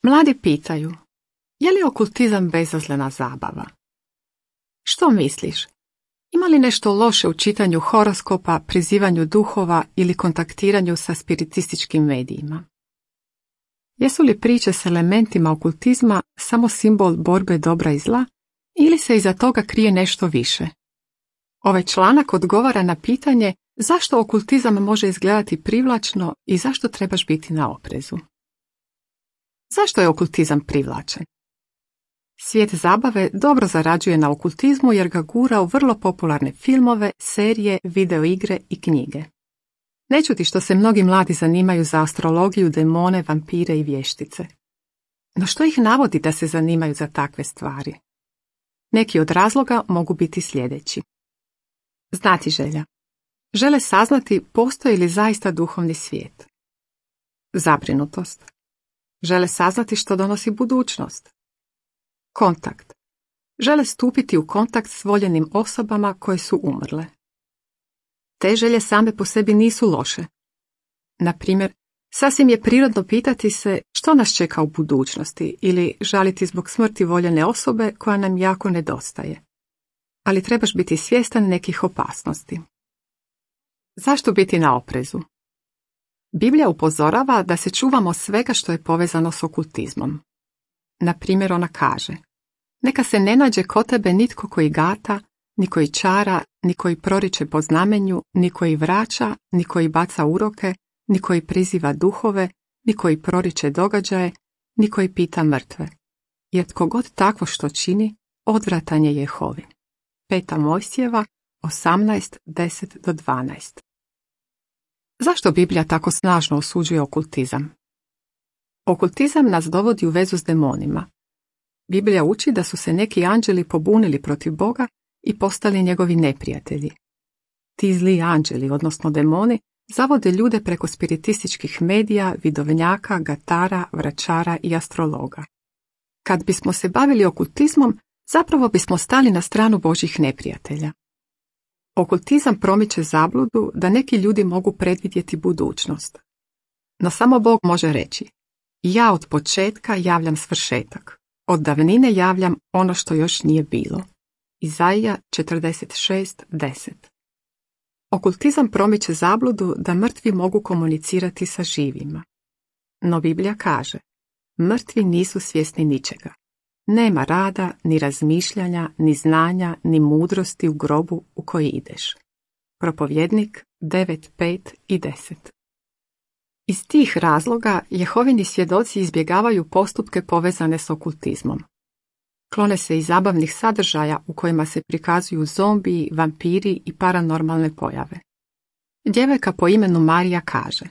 Mladi pitaju, je li okultizam bezazlena zabava? Što misliš? Ima li nešto loše u čitanju horoskopa, prizivanju duhova ili kontaktiranju sa spiritističkim medijima? Jesu li priče s elementima okultizma samo simbol borbe dobra i zla ili se iza toga krije nešto više? Ovaj članak odgovara na pitanje zašto okultizam može izgledati privlačno i zašto trebaš biti na oprezu. Zašto je okultizam privlačen? Svijet zabave dobro zarađuje na okultizmu jer ga gura u vrlo popularne filmove, serije, videoigre i knjige. Ne čudi što se mnogi mladi zanimaju za astrologiju, demone, vampire i vještice. No što ih navodi da se zanimaju za takve stvari? Neki od razloga mogu biti sljedeći. Znatiželja. Žele saznati postoji li zaista duhovni svijet. Zabrinutost. Žele saznati što donosi budućnost. Kontakt. Žele stupiti u kontakt s voljenim osobama koje su umrle. Te želje same po sebi nisu loše. Na primjer, sasvim je prirodno pitati se što nas čeka u budućnosti ili žaliti zbog smrti voljene osobe koja nam jako nedostaje. Ali trebaš biti svjestan nekih opasnosti. Zašto biti na oprezu? Biblija upozorava da se čuvamo svega što je povezano s okultizmom. Na primjer, ona kaže: neka se ne nađe kod tebe nitko koji gata, ni koji čara, ni koji proriče po znamenju, ni koji vraća, ni koji baca uroke, ni koji priziva duhove, ni koji proriče događaje, ni koji pita mrtve. Jer tko god takvo što čini, odvratan je Jehovi. 5. Mojsijeva 18:10-12. Zašto Biblija tako snažno osuđuje okultizam? Okultizam nas dovodi u vezu s demonima. Biblija uči da su se neki anđeli pobunili protiv Boga i postali njegovi neprijatelji. Ti zli anđeli, odnosno demoni, zavode ljude preko spiritističkih medija, vidovnjaka, gatara, vračara i astrologa. Kad bismo se bavili okultizmom, zapravo bismo stali na stranu Božjih neprijatelja. Okultizam promiče zabludu da neki ljudi mogu predvidjeti budućnost. No samo Bog može reći: ja od početka javljam svršetak, od davnine javljam ono što još nije bilo. Izaija 46:10. Okultizam promiče zabludu da mrtvi mogu komunicirati sa živima. No Biblija kaže: mrtvi nisu svjesni ničega. Nema rada, ni razmišljanja, ni znanja, ni mudrosti u grobu u koji ideš. Propovjednik 9:5 i 10. Iz tih razloga Jehovini svjedoci izbjegavaju postupke povezane s okultizmom. Klone se i zabavnih sadržaja u kojima se prikazuju zombiji, vampiri i paranormalne pojave. Djevojka po imenu Marija kaže: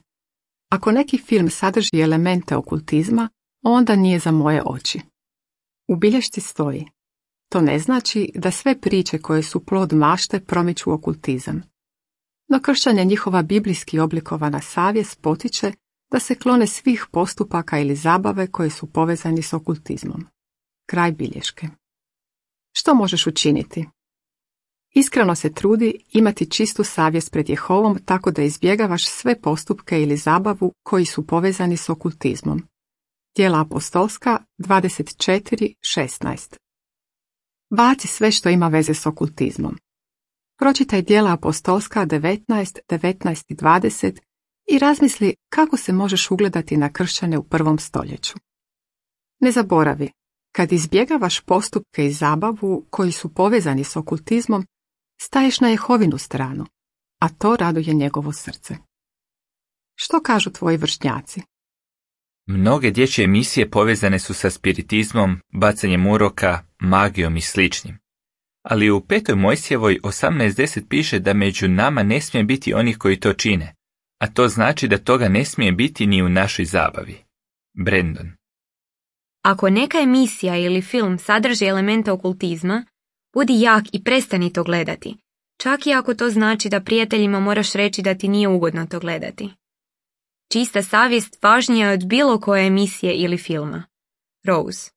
ako neki film sadrži elemente okultizma, onda nije za moje oči. U bilješci stoji: to ne znači da sve priče koje su plod mašte promiču okultizam. No kršćanje njihova biblijski oblikovana savjest potiče da se klone svih postupaka ili zabave koje su povezani s okultizmom. Kraj bilješke. Što možeš učiniti? Iskreno se trudi imati čistu savjest pred Jehovom tako da izbjegavaš sve postupke ili zabavu koji su povezani s okultizmom. Djela apostolska 24:16. Baci sve što ima veze s okultizmom. Pročitaj Djela apostolska 19 i 20 i razmisli kako se možeš ugledati na kršćane u 1. stoljeću. Ne zaboravi, kad izbjegavaš postupke i zabavu koji su povezani s okultizmom, staješ na Jehovinu stranu, a to raduje njegovo srce. Što kažu tvoji vršnjaci? Mnoge dječje emisije povezane su sa spiritizmom, bacanjem uroka, magijom i sličnim. Ali u 5. Mojsijevoj 18:10 piše da među nama ne smije biti onih koji to čine, a to znači da toga ne smije biti ni u našoj zabavi. Brandon. Ako neka emisija ili film sadrži elemente okultizma, budi jak i prestani to gledati, čak i ako to znači da prijateljima moraš reći da ti nije ugodno to gledati. Čista savjest važnija je od bilo koje emisije ili filma. Rose.